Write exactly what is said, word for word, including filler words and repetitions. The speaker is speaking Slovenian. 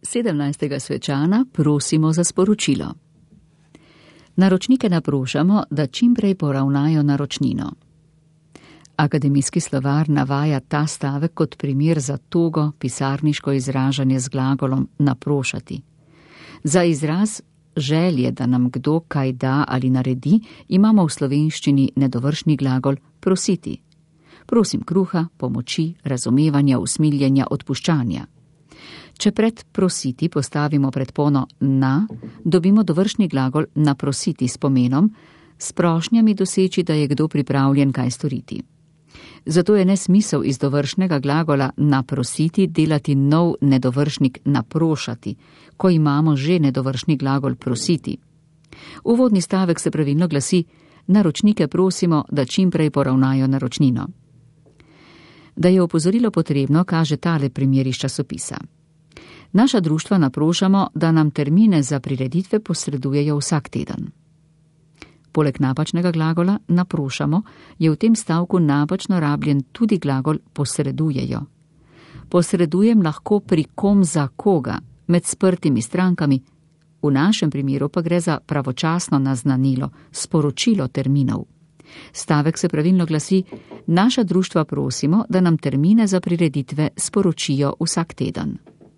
sedemnajstega svečana prosimo za sporočilo. Naročnike naprošamo, da čimprej poravnajo naročnino. Akademijski slovar navaja ta stavek kot primer za togo pisarniško izražanje z glagolom naprošati. Za izraz želje, da nam kdo kaj da ali naredi, imamo v slovenščini nedovršni glagol prositi. Prosim kruha, pomoči, razumevanja, usmiljenja, odpuščanja. Če pred prositi postavimo predpono na, dobimo dovršni glagol naprositi s pomenom, s prošnjami doseči, da je kdo pripravljen kaj storiti. Zato je nesmisel iz dovršnega glagola naprositi delati nov nedovršnik naprošati, ko imamo že nedovršni glagol prositi. Uvodni stavek se pravilno glasi: naročnike prosimo, da čimprej poravnajo naročnino. Da je opozorilo potrebno, kaže tale primer iz časopisa. Naša društva naprošamo, da nam termine za prireditve posredujejo vsak teden. Poleg napačnega glagola naprošamo je v tem stavku napačno rabljen tudi glagol posredujejo. Posredujem lahko pri kom za koga, med sprtimi strankami, v našem primeru pa gre za pravočasno naznanilo, sporočilo terminov. Stavek se pravilno glasi: naša društva prosimo, da nam termine za prireditve sporočijo vsak teden.